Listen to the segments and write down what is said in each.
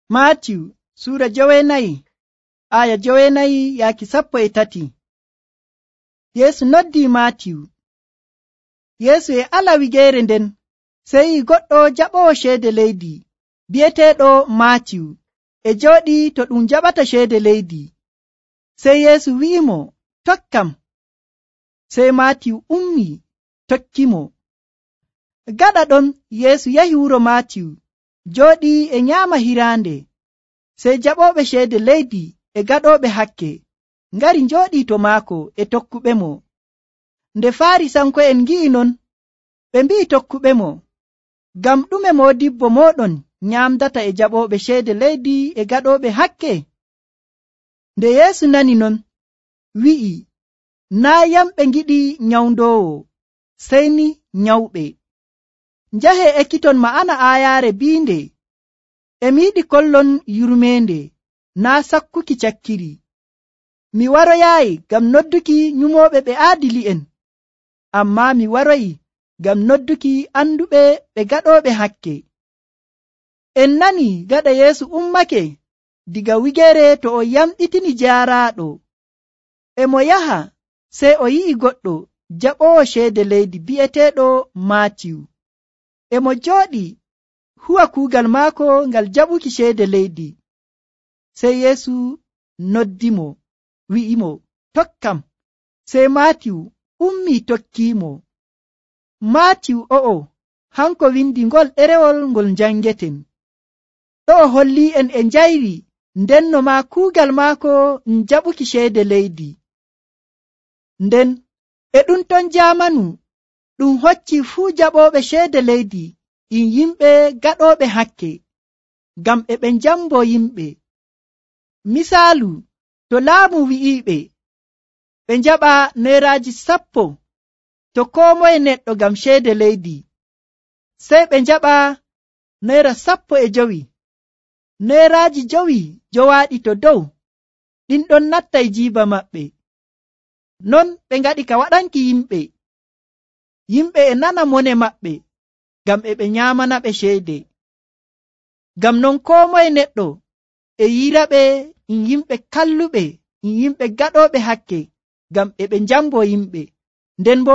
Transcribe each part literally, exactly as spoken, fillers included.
Maatiyu suura jowenayi aya jowenayi yaaki sappo e tati. Yeesu noddi Maatiyu. Yeesu e ala wigeere nden sey goɗɗo jaɓowo ceede leydi bi'eteeɗo Maatiyu e jooɗi to ɗum jaɓata ceede leydi. Sey Yeesu wi'imo, tokkam. Sey Maatiyu ummi tokkimo. Gaɗa ɗon Yeesu yahi wuro Maatiyu jooɗi e nyaama hiraande. Sey jaɓooɓe ceede leydi e gaɗooɓe hakke ngari njooɗii to maako e tokkuɓemo. Nde Faarisanko'en ngi'i non, ɓe mbi'i tokkuɓemo, ngam ɗume moodibbo mooɗon nyaamdata e jaɓooɓe ceede leydi e gaɗooɓe hakke? Nde Yeesu nani non, wi'i, naa yamɓe ngiɗi nyawndoowo, sey ni nyawɓe. Njahee ekkiton ma'ana aayaare biinde, e mi yiɗi kollon yurmeende, naa sakkuki cakkiri. Mi waroyaayi ngam nodduki nyumooɓe ɓe aadili'en, ammaa mi waroyi ngam nodduki anduɓe ɓe gaɗooɓe hakke. En nani gaɗa Yeesu ummake diga wigeere to o yamɗitini jaaraaɗo. E mo yaha sey o yi'i goɗɗo jaɓoowo ceede leydi bi'eteeɗo Maatiyu. E mo jooɗi huwa kuugal maako ngal jaɓuki ceede leydi. Sey Yeesu noddimo, wi'imo, tokkam. Sey Maatiyu ummii tokkiimo. Maatiyu o'o hanko windi ngol ɗerewol ngol njangeten. Ɗo'o holli'en e njayri ndenno maa kuugal maako jaɓuki ceede leydi. Nden e ɗum ton jaamanu ɗum hocci fuu jaɓooɓe ceede leydi ɗin yimɓe gaɗooɓe hakke, ngam e ɓe njambo yimɓe. Misaalu, to laamu wi'iiɓe ɓe njaɓa neeraaji sappo to koo moye neɗɗo ngam ceede leydi, sey ɓe njaɓa neera sappo e jowi. Neeraaji jowi jowaaɗi to dow ɗin ɗon nattay jiiba maɓɓe. Non ɓe ngaɗi ka waɗanki yimɓe. Yimɓe e nana mone maɓɓe ngam e ɓe nyaamanaɓe ceede. Ngam non koo moye neɗɗo e yiiraɓe in yimɓe kalluɓe, in yimɓe gaɗooɓe hakke, ngam e ɓe njambo yimɓe. Nden bo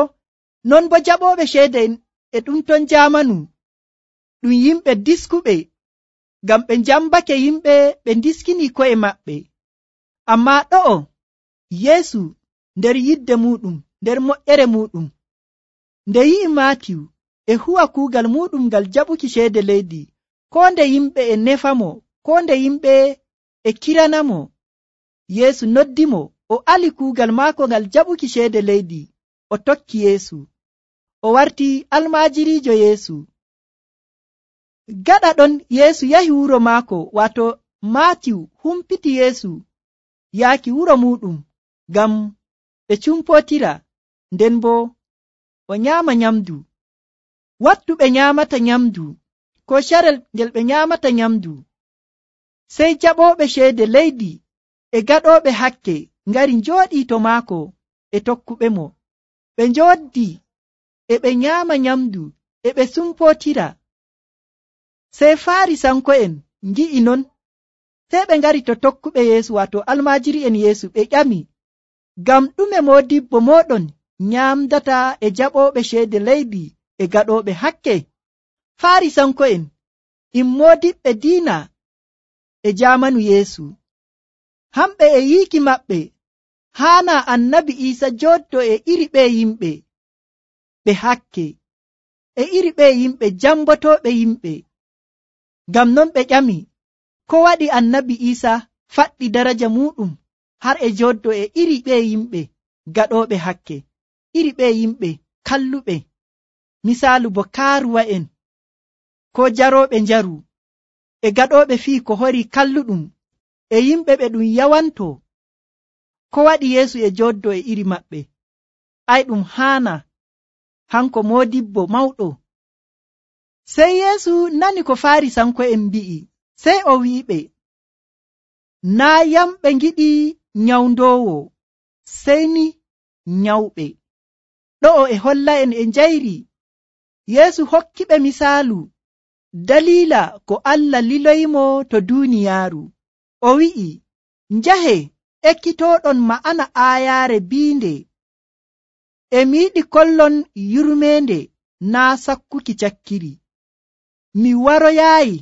non bo jaɓooɓe ceede e ɗum ton jaamanu ɗum yimɓe diskuɓe, ngam ɓe njambake yimɓe ɓe ndiskini ko'e maɓɓe. Ammaa ɗo'o Yeesu nder yidde muɗum, nder moƴƴere muɗum, nde yi'i Maatiyu e huwa kuugal muɗum ngal jaɓuki ceede leydi, koo nde yimɓe e nefamo, koo nde yimɓe e kiranamo, Yeesu noddimo o ali kuugal maako ngal jaɓuki ceede leydi, o tokki Yeesu. O warti almaajiriijo Yeesu. Gaɗa ɗon Yeesu yahi wuro maako, waato Maatiyu humpiti Yeesu yaaki wuro muɗum ngam ɓe cumpootira, nden bo o nyaama nyamdu. Wattu ɓe nyaamata nyamdu, ko carel ngel ɓe nyaamata nyamdu, sey jaɓooɓe ceede leydi e gaɗooɓe hakke ngari njooɗii to maako e tokkuɓemo. Ɓe njooddi e ɓe nyaama nyamdu e ɓe sumpootira. Sey Faarisanko'en ngi'i non, sey ɓe ngari to tokkuɓe Yeesu, waato almaajiri'en Yeesu, ɓe ƴami, ngam ɗume moodibbo mooɗon nyaamdata e jaɓooɓe ceede leydi e gaɗooɓe hakke? Faarisanko'en in moodiɓɓe diina e jaamanu Yeesu. Hamɓe e yiiki maɓɓe haana annabi Iisa jooddo e iri ɓe yimɓe ɓe hakke, e iri ɓe yimɓe jambotooɓe yimɓe. Ngam non ɓe ƴami, ko waɗi annabi Iisa faɗɗi daraja muɗum har e jooddo e iri ɓe yimɓe gaɗooɓe hakke, iri ɓe yimɓe kalluɓe, misaalu bo kaaruwa'en, ko jarooɓe njaru, e gaɗooɓe fii ko hori kalluɗum, e yimɓe ɓe ɗum yawanto. Ko waɗi Yeesu e jooddo e iri maɓɓe? Ay, ɗum haana, hanko moodibbo mawɗo. Sey Yeesu nani ko Faarisanko'en mbi'i, sey o wi'iɓe, naa yamɓe ngiɗi nyawndoowo, sey ni nyawɓe. Ɗo'o e holla en e njayri Yeesu hokkiɓe misaalu dalila ko Allah liloyimo to duniyaaru. O wi'i, njahe ekkitoɗon ma'ana aayaare biinde, e mi yiɗi kollon yurmeende naa sakkuki cakkiri. Mi waroyaayi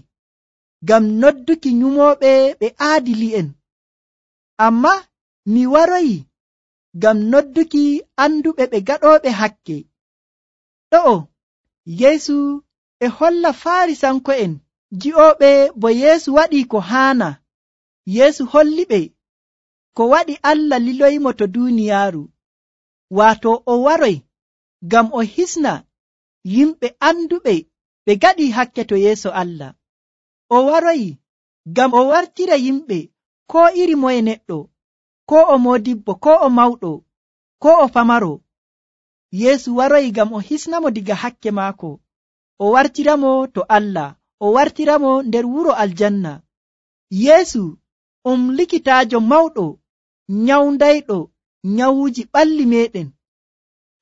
ngam nodduki nyumooɓe ɓe aadili'en, amma mi waroyi ngam nodduki anduɓe ɓe gaɗooɓe hakke. ɗo'o Yeesu e holla Faarisanko'en ji'ooɓe bo Yeesu waɗi ko haana. Yeesu holliɓe ko waɗi Allah liloyimo to duniyaaru, waato o waroy ngam o hisna yimɓe anduɓe ɓe gaɗi hakke to yeeso Allah. O waroyi ngam o wartira yimɓe ko iri moye neɗɗo, ko o modibbo, ko o mawɗo, ko o famaro. Yeesu waroyi ngam o hisnamo diga hakke maako, o wartiramo to Allah, o wartiramo nder wuro aljanna. Yeesu um likitaajo mawɗo nyawndayɗo nyawuuji ɓalli meɗen,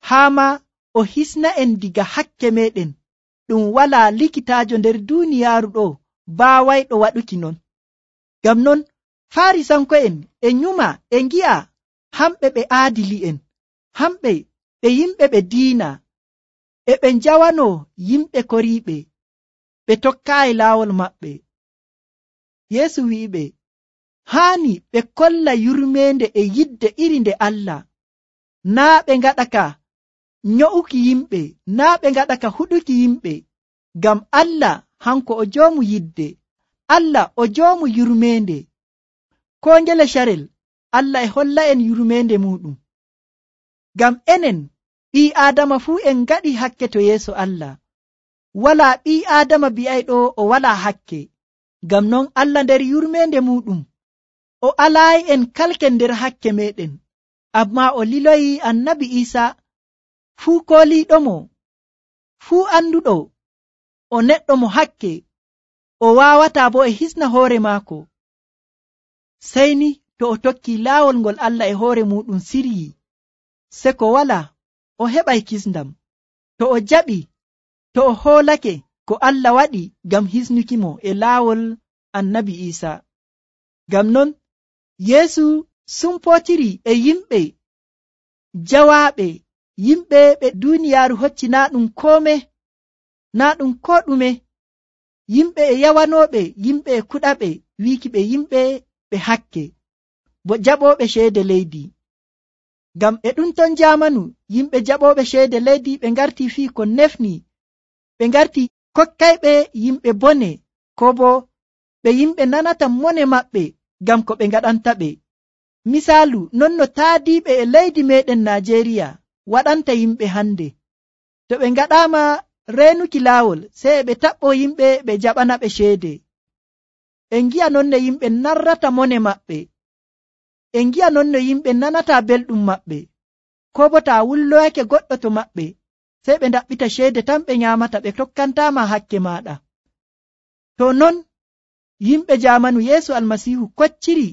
haa ma o hisna en diga hakke meɗen. Ɗum walaa likitaajo nder duuniyaaru ɗo baawayɗo waɗuki non. Ngam non Faarisanko'en e nyuma e ngi'a hamɓe ɓe aadili'en, hamɓe ɓe yimɓe ɓe diina, e ɓe njawano yimɓe koriiɓe, ɓe tokkaayi laawol maɓɓe. Yeesu wi'iɓe, haani ɓe kolla yurmeende e yidde iri nde Allah, naa ɓe ngaɗa ka nyo'uki yimɓe, naa ɓe ngaɗa ka huɗuki yimɓe, ngam Allah hanko o joomu yidde, Allah o joomu yurmeende. Ko ngele carel Allah e holla en yurmeende muɗum, ngam enen ɓii Aadama fuu en ngaɗi hakke to yeeso Allah. Walaa ɓii Aadama bi'ayɗo o walaa hakke. Ngam non Allah nder yurmeende muɗum o alaayi en kalken nder hakke meɗen, amma o liloyi annabi Iisa, fuu kooliiɗomo, fuu anduɗo o neɗɗo mo hakke, o waawataa bo e hisna hoore maako, sey ni to o tokki laawol ngol Allah e hoore muɗum siryi, se ko wala o heɓay kisndam. To o jaɓi, to o hoolake ko Allah waɗi ngam hisnukimo e laawol annabi Iisa. Ngam non Yeesu sumpootiri e yimɓe jawaaɓe, yimɓe ɓe duuniyaaru hocci naa ɗum koome, naa ɗum ko ɗume, yimɓe e yawanooɓe, yimɓe e kuɗaɓe, wiiki ɓe yimɓe ɓe hakke, bo jaɓooɓe ceede leydi. Ngam e ɗum ton jaamanu yimɓe jaɓooɓe ceede leydi ɓe ngarti fii ko nefni, ɓe ngarti kokkayɓe yimɓe bone, ko bo ɓe yimɓe nanata mone maɓɓe ngam ko ɓe ngaɗanta ɓe. Misaalu non no taadiiɓe e leydi meɗen Najeriya waɗanta yimɓe hande. To ɓe ngaɗaama reenuki laawol, sey ɓe taɓɓo yimɓe ɓe jaɓana ɓe ceede. En ngi'a non no yimɓe narrata mone maɓɓe, en ngi'a non no yimɓe nanata belɗum maɓɓe, ko bo taa wulloyake goɗɗo to maɓɓe, sey ɓe ndaɓɓita ceede tan ɓe nyaamata, ɓe tokkantaama hakke maaɗa. To non yimɓe jaamanu Yeesu Almasiihu kocciri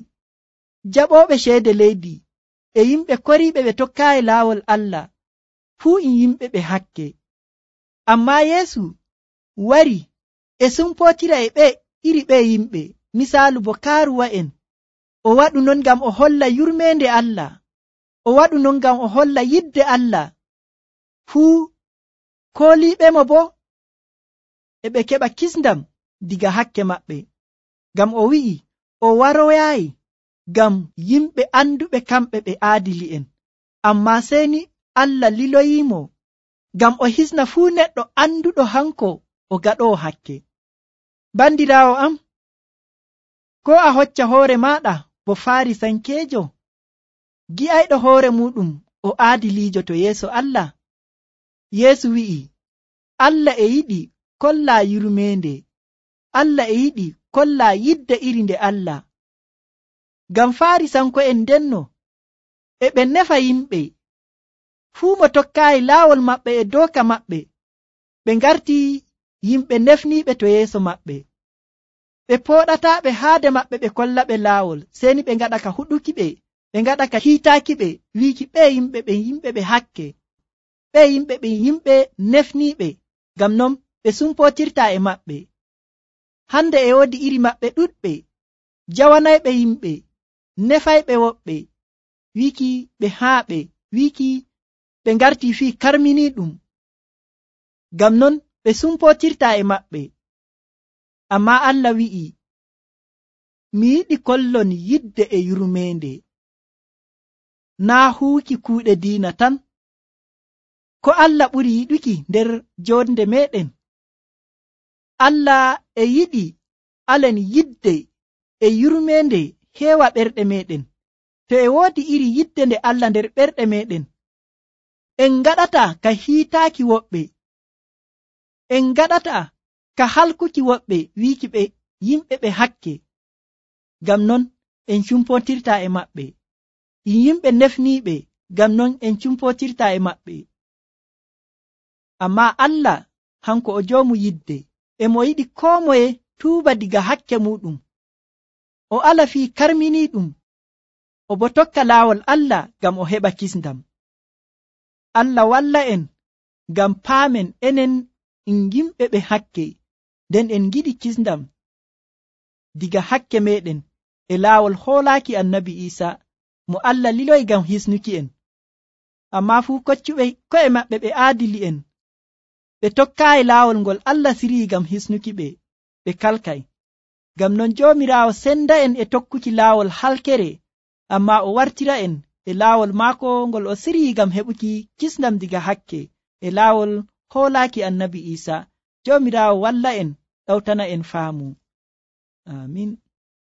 jaɓooɓe ceede leydi e yimɓe koriiɓe ɓe tokkaayi laawol Allah, fuu in yimɓe ɓe hakke. Ammaa Yeesu wari e sumpootira e ɓe iri ɓe yimɓe, misaalu bo kaaruwa'en. O waɗu non ngam o holla yurmeende Allah, o waɗu non ngam o holla yidde Allah, fuu kooliiɓe mo bo e ɓe keɓa kisndam diga hakke maɓɓe. Ngam o wi'i o waroyaayi ngam yimɓe anduɓe kamɓe ɓe aadili'en, ammaa sey ni Allah liloyiimo ngam o hisna fuu neɗɗo anduɗo hanko o gaɗoowo hakke. Bandiraawo am, ko a hocca hoore maaɗa bo Faarisankeejo, gi'ayɗo hoore muɗum o aadiliijo to yeeso Allah? Yeesu wi'i, Allah e yiɗi kollaa yurmeende, Allah e yiɗi kollaa yidde iri nde Allah. Ngam Faarisanko'en ndenno e ɓe nefa yimɓe, fuu mo tokkaayi laawol maɓɓe e dooka maɓɓe, ɓe ngarti yimɓe nefniiɓe to yeeso maɓɓe. Ɓe pooɗataa ɓe haade maɓɓe ɓe kolla ɓe laawol, seni ɓe ngaɗa ka huɗuki ɓe, ɓe ngaɗa ka hiitaaki ɓe, wiiki ɓe yimɓe ɓe yimɓe ɓe hakke, ɓe yimɓe ɓe yimɓe nefniiɓe, ngam non ɓe sumpootirtaa e maɓɓe. hande e woodi iri maɓɓe ɗuɗɓe jawanayɓe yimɓe, nefayɓe woɓɓe, wiki ɓe haaɓe, wiki ɓe ngarti fii karminiiɗum. Ngam non ɓe sumpotirta e maɓɓe. Ammaa Allah wi'i, mi yiɗi kollon yidde e yurmeende, naa huuki kuuɗe diina tan. Ko Allah ɓuri yiɗuki nder jonde meɗen? Allah e yiɗi alen yidde e yurmeende heewa ɓerɗe meɗen. To e woodi iri yidde nde Allah nder ɓerɗe meɗen, en gaɗata ka hiitaaki woɓɓe, en gaɗata ka halkuki woɓɓe, wiiki ɓe yimɓe ɓe hakke. Ngam non en cumpotirta e maɓɓe. Yimɓe nefniiɓe, ngam non en cumpotirta e maɓɓe. Ammaa Allah hanko o joomu yidde, e mo yiɗi koo moye tuuba diga hakke muɗum, o ala fii karminiiɗum, o bo tokka laawol Allah ngam o heɓa kisndam. Allah walla en ngam paamen enen en yimɓe ɓe hakke, nden en giɗi kisndam diga hakke meɗen e laawol hoolaaki annabi Iisa mo Allah liloyi ngam hisnuki en. Ammaa fuu koccuɓe ko'e maɓɓe ɓe aadili'en, ɓe tokkaayi laawol ngol Allah sirii ngam hisnuki ɓe, ɓe kalkay. Ngam non Joomiraawo senda en e tokkuki laawol halkere, ammaa o wartira en e laawol maako ngol o sirii ngam heɓuki kisndam diga hakke e laawol hoolaaki annabi Iisa. Joomiraawo walla en, ɗawtana en faamu. Amin.